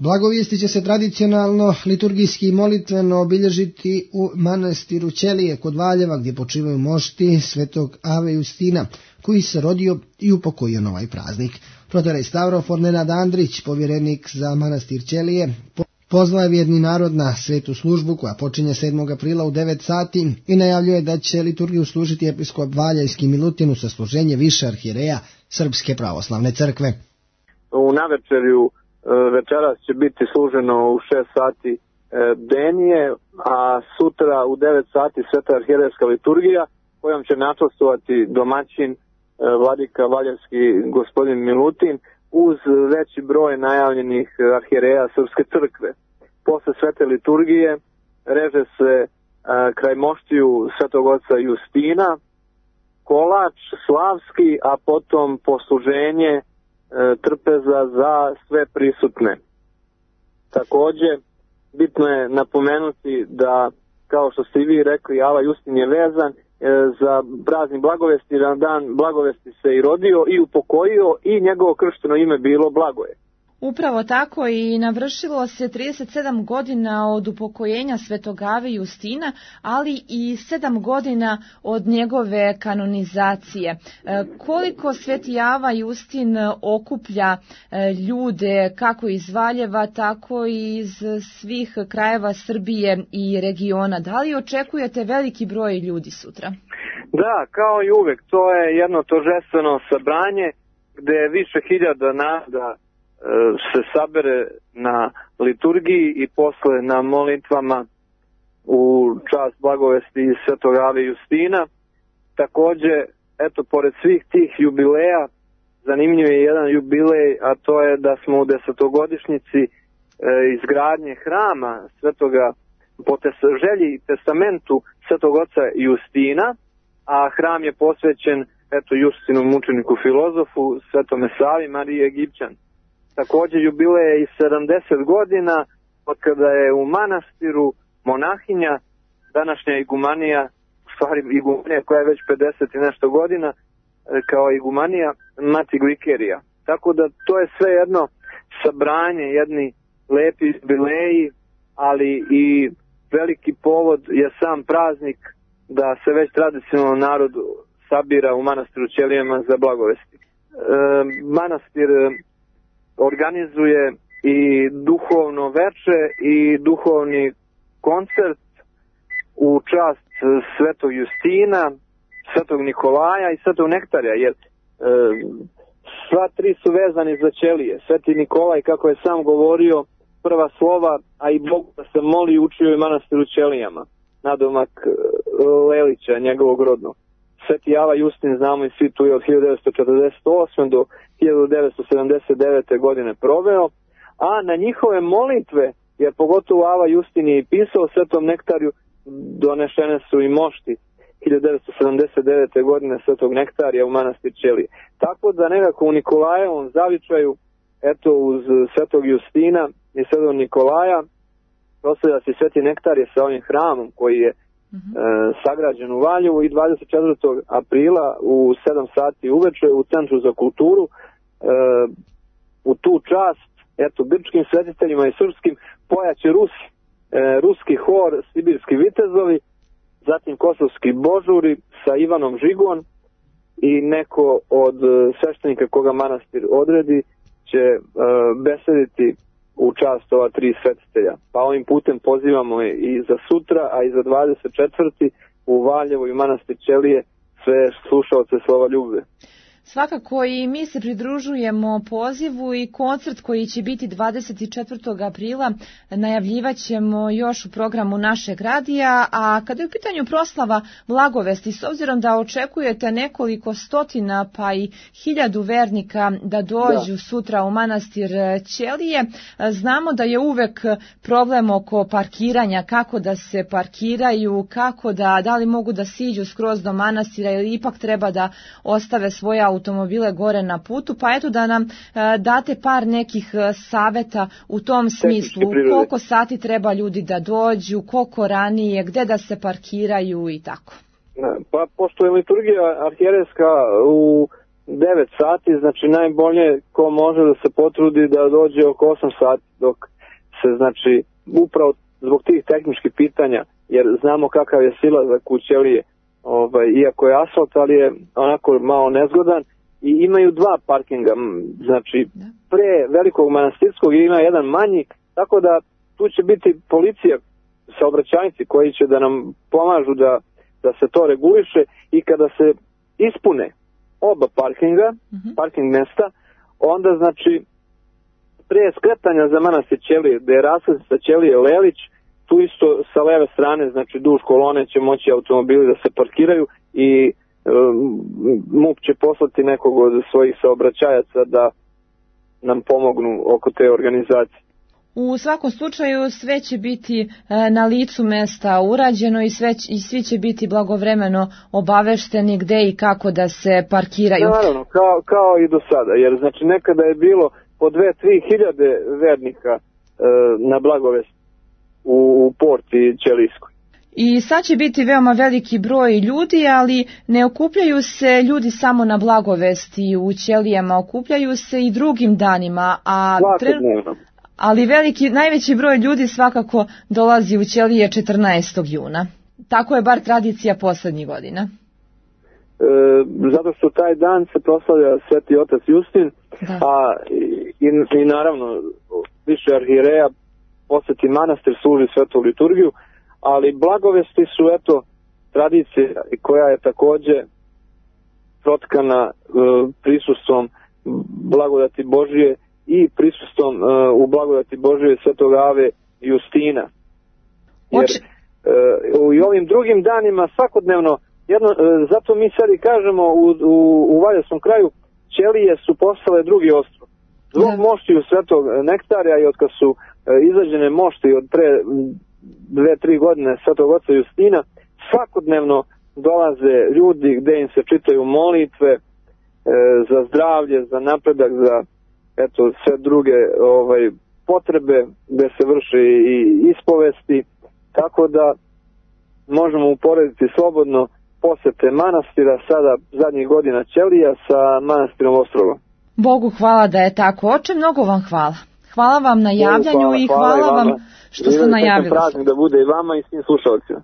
Blagovijesti će se tradicionalno liturgijski i molitveno obilježiti u manastiru Ćelije kod Valjeva, gdje počivaju mošti svetog Ave Justina, koji se rodio i upokojio na ovaj praznik. Protorej Stavrofor Nenad Andrić, povjerenik za manastir Ćelije, pozvao je vjerni narod na svetu službu koja počinje 7. aprila u 9 sati i najavljuje da će liturgiju služiti episkop Valjevski Milutin uz sasluženje više arhijereja Srpske pravoslavne crkve. U navečerju večeras će biti služeno u 6 sati denije, a sutra u 9 sati sveta arhijerejska liturgija kojom će načastvovati domaćin vladika Valjevski gospodin Milutin uz veći broj najavljenih arhijereja Srpske crkve. Posle svete liturgije reže se kraj moštiju svetog oca Justina kolač slavski, a potom posluženje trpeza za sve prisutne. Takođe, bitno je napomenuti da, kao što ste i vi rekli, Ava Justin je vezan za praznik Blagovesti, na dan Blagovesti se i rodio i upokojio i njegovo kršteno ime bilo Blagoje. Upravo tako, i navršilo se 37 godina od upokojenja svetog Ave Justina, ali i 7 godina od njegove kanonizacije. Koliko sveti Ava Justin okuplja ljude kako iz Valjeva, tako i iz svih krajeva Srbije i regiona? Da li očekujete veliki broj ljudi sutra? Da, kao i uvek, to je jedno торжествено sabranje gde više hiljada naroda se sabere na liturgiji i posle na molitvama u čast Blagovesti svetog Ave Justina. Takođe, eto, pored svih tih jubileja, zanimljiv je jedan jubilej, a to je da smo u 10-godišnjici izgradnje hrama svetoga po želji i testamentu svetog oca Justina, a hram je posvećen Justinu mučeniku filozofu, svetome Savi, Mariji Egipćan. Takođe jubilej je i 70 godina od kada je u manastiru monahinja, današnja igumanija, u stvari igumanija koja je već 50 i nešto godina, kao igumanija Mati Glikerija. Tako da to je sve jedno sabranje, jedni lepi jubileji, ali i veliki povod je sam praznik da se već tradicionalno narod sabira u manastiru Ćelijama za Blagovesti. Manastir organizuje i duhovno veče i duhovni koncert u čast svetog Justina, svetog Nikolaja i svetog Nektarja, jer sva tri su vezani za Ćelije. Sveti Nikolaj, kako je sam govorio, prva slova, a i Bog da se moli, učio je manastiru Ćelijama, nadomak Lelića, njegovog rodnog. Sveti Ava Justin, znamo i svi, tu je od 1948. do 1979. godine proveo, a na njihove molitve, jer pogotovo Ava Justin je i pisao svetom Nektarju, donešene su i mošti 1979. godine svetog Nektarija u manastir Ćelije. Tako da nekako u Nikolajevom zavičaju, eto uz svetog Justina i svetog Nikolaja, proslavlja se sveti Nektarije sa ovim hramom koji je sagrađen u Valjevu i 24. aprila u 7 sati uveče u Centru za kulturu u tu čast, eto, grčkim svetiteljima i srpskim pojaće ruski hor Sibirski vitezovi, zatim kosovski božuri sa Ivanom Žigom i neko od sveštenika koga manastir odredi će besediti u čast ova tri svetitelja. Pa ovim putem pozivamo i za sutra, a i za 24. u Valjevo i manastir Ćelije sve slušaoce slova ljubve. Svakako i mi se pridružujemo pozivu i koncert koji će biti 24. aprila najavljivat ćemo još u programu našeg radija, a kada je u pitanju proslava Blagovesti, s obzirom da očekujete nekoliko stotina pa i 1000 vernika da dođu sutra u manastir Ćelije, znamo da je uvek problem oko parkiranja, kako da se parkiraju, kako da li mogu da siđu skroz do manastira ili ipak treba da ostave svoje automobile gore na putu, pa eto da nam date par nekih saveta u tom smislu, koliko sati treba ljudi da dođu, koliko ranije, gde da se parkiraju i tako. Pa pošto je liturgija arhijerejska u 9 sati, znači najbolje ko može da se potrudi da dođe oko 8 sati, dok se, znači, upravo zbog tih tehničkih pitanja, jer znamo kakav je silazak u ćelije, iako je asfalt, ali je onako malo nezgodan, i imaju 2 parkinga, znači pre Velikog Manastirskog ima jedan manji, tako da tu će biti policija, saobraćajnici koji će da nam pomažu da se to reguliše, i kada se ispune oba parkinga, parking mesta, onda, znači, pre skretanja za manastir Ćelije, gde je raskrsnica Ćelije Lelić, tu isto sa leve strane, znači duž kolone će moći automobili da se parkiraju, i MUP će poslati nekog od svojih saobraćajaca da nam pomognu oko te organizacije. U svakom slučaju sve će biti na licu mesta urađeno i svi će biti blagovremeno obavešteni gde i kako da se parkiraju. Naravno, kao i do sada, jer znači nekada je bilo po 2-3 hiljade vernika na Blagovest u porti Ćelijskoj. I sad će biti veoma veliki broj ljudi, ali ne okupljaju se ljudi samo na Blagovesti u Ćelijama, okupljaju se i drugim danima, ali najveći broj ljudi svakako dolazi u Ćelije 14. juna. Tako je bar tradicija poslednjih godina. Zato što taj dan se proslavlja Sveti otac Justin, a i naravno više arhijereja poseti manastir, služi svetu liturgiju, ali Blagovesti su, eto, tradicija koja je takođe protkana prisustvom blagodati Božije i prisustvom u blagodati Božije Svetog Ave Justina. Jer i ovim drugim danima svakodnevno, zato mi sad i kažemo u Valjevskom kraju, Ćelije su postale drugi ostrov. Zbog moštiju Svetog Nektarija i od kad su izađene mošti od pre 2-3 godine Svetog oca Justina, svakodnevno dolaze ljudi gde im se čitaju molitve za zdravlje, za napredak, za sve druge potrebe, gde se vrše i ispovesti, tako da možemo uporediti slobodno posete manastira sada zadnjih godina Ćelija sa manastirom Ostroga. Bogu hvala da je tako. Oče, mnogo vam hvala. Hvala vam na javljanju i hvala vam što ste najavili. Praznik da bude i vama i svim slušalcima.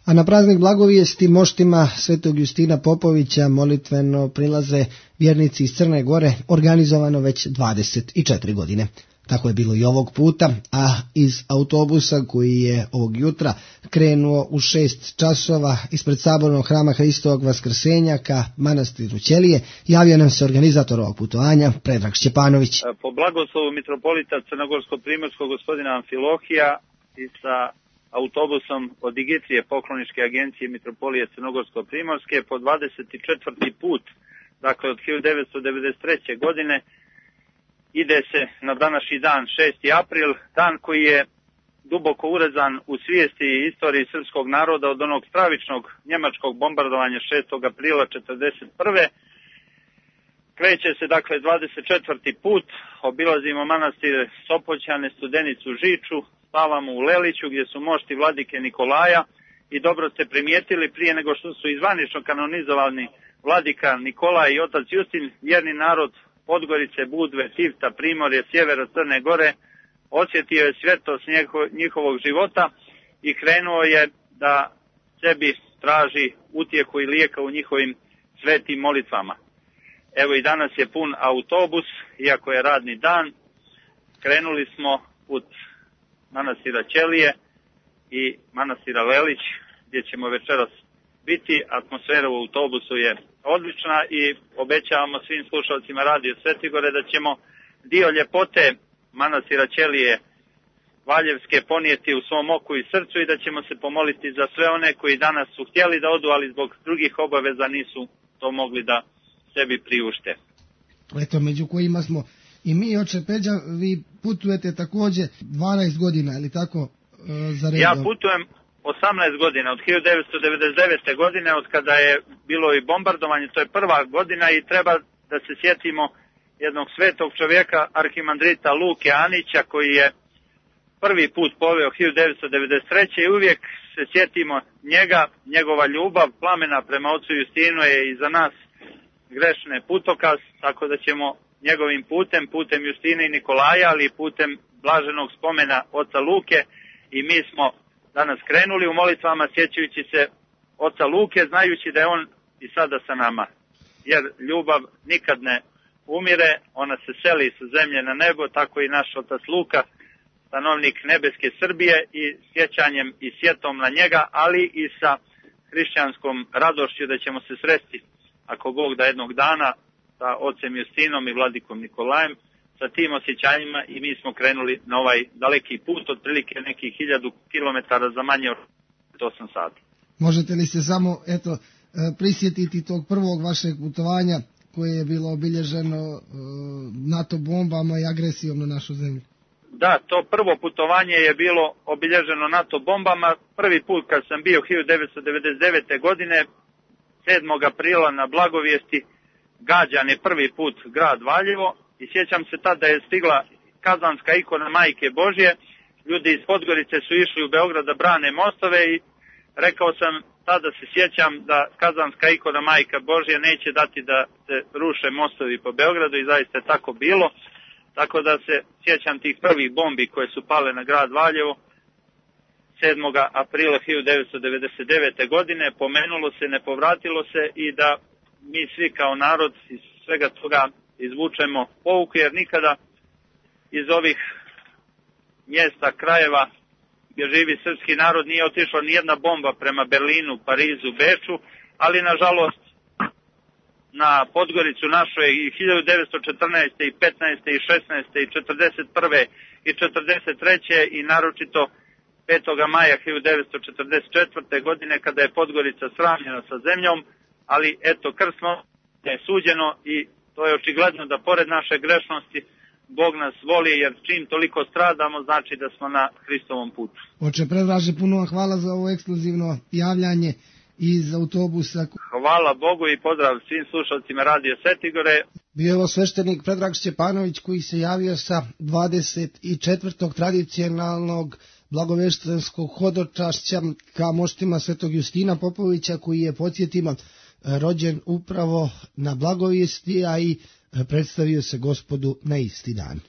A na praznik blagovijesti moštima Svetog Justina Popovića molitveno prilaze vjernici iz Crne Gore, organizovano već 24 godine. Tako je bilo i ovog puta, a iz autobusa koji je ovog jutra krenuo u 6 časova ispred sabornog hrama Hristovog Vaskrsenja ka manastiru Ćelije, javio nam se organizator ovog putovanja, Predrag Šćepanović. Po blagoslovu mitropolita Crnogorsko-primorskog gospodina Amfilohija i sa autobusom od Digitrije pokloničke agencije mitropolije Crnogorsko-primorske po 24. put, dakle od 1993. godine, ide se na današnji dan, 6. april, dan koji je duboko urezan u svijesti i istoriji srpskog naroda od onog stravičnog njemačkog bombardovanja 6. aprila 1941. Kreće se, dakle, 24. put, obilazimo manastir Sopoćane, Studenicu, Žiču, spavamo u Leliću gdje su mošti vladike Nikolaja i dobro ste primijetili, prije nego što su izvanično kanonizovani vladika Nikolaj i otac Justin, vjerni narod Podgorice, Budve, Tivta, Primorje, sjevera Crne Gore osjetio je svetost njihovog života i krenuo je da sebi traži utjehu i lijeka u njihovim svetim molitvama. Evo i danas je pun autobus, iako je radni dan. Krenuli smo put manastira Ćelije i manastira Lelić, gdje ćemo večeras biti. Atmosfera u autobusu je odlična i obećavamo svim slušalcima Radio Svetigore da ćemo dio ljepote manastira Ćelije Valjevske ponijeti u svom oku i srcu i da ćemo se pomoliti za sve one koji danas su htjeli da odu, ali zbog drugih obaveza nisu to mogli da sebi priušte. Eto, među kojima smo i mi, oče Peđa, vi putujete također 12 godina, ili tako, za redom? Ja putujem 18 godina, od 1999. godine, od kada je bilo i bombardovanje, to je prva godina i treba da se sjetimo jednog svetog čovjeka, arhimandrita Luke Anića, koji je prvi put poveo 1993. i uvijek se sjetimo njega, njegova ljubav, plamena prema ocu Justinu je i za nas grešne putokaz, tako da ćemo njegovim putem Justine i Nikolaja, ali i putem blaženog spomena oca Luke, i mi smo danas krenuli u molitvama sjećajući se oca Luke, znajući da je on i sada sa nama. Jer ljubav nikad ne umire, ona se seli sa zemlje na nebo, tako i naš otac Luka, stanovnik nebeske Srbije, i sjećanjem i sjetom na njega, ali i sa hrišćanskom radošću da ćemo se sresti, ako Bog da, jednog dana sa ocem Justinom i vladikom Nikolajem. Sa tim osjećanjima i mi smo krenuli na ovaj daleki put, otprilike nekih 1000 kilometara za manje od 8 sati. Možete li se samo prisjetiti tog prvog vašeg putovanja koje je bilo obilježeno NATO bombama i agresijom na našu zemlju? Da, to prvo putovanje je bilo obilježeno NATO bombama. Prvi put kad sam bio 1999. godine, 7. aprila na Blagovijesti, gađan je prvi put grad Valjevo, i sjećam se tada je stigla kazanska ikona Majke Božje. Ljudi iz Podgorice su išli u Beograd da brane mostove i rekao sam, tada se sjećam da kazanska ikona Majka Božja neće dati da se ruše mostovi po Beogradu, i zaista je tako bilo. Tako da se sjećam tih prvih bombi koje su pale na grad Valjevo 7. aprila 1999. godine. Pomenulo se, ne povratilo se, i da mi svi kao narod iz svega toga izvučemo pouku, jer nikada iz ovih mjesta, krajeva gdje živi srpski narod nije otišla ni jedna bomba prema Berlinu, Parizu, Beču, ali nažalost na Podgoricu našu je i 1914. i 15. i 16. i 41. i 43. i naročito 5. maja 1944. godine kada je Podgorica sravnjena sa zemljom, ali eto, krsno je suđeno i to je očigledno da pored naše grešnosti Bog nas voli, jer čim toliko stradamo znači da smo na Hristovom putu. Oče Predraže, puno vam hvala za ovo ekskluzivno javljanje iz autobusa. Hvala Bogu i pozdrav svim slušalcima Radio Svetigore. Bio je ovo sveštenik Predrag Stjepanović koji se javio sa 24. tradicionalnog blagoveštenskog hodočašća ka moštima Svetog Justina Popovića, koji je, podsjetimo, rođen upravo na Blagovijesti, a i predstavio se Gospodu na isti dan.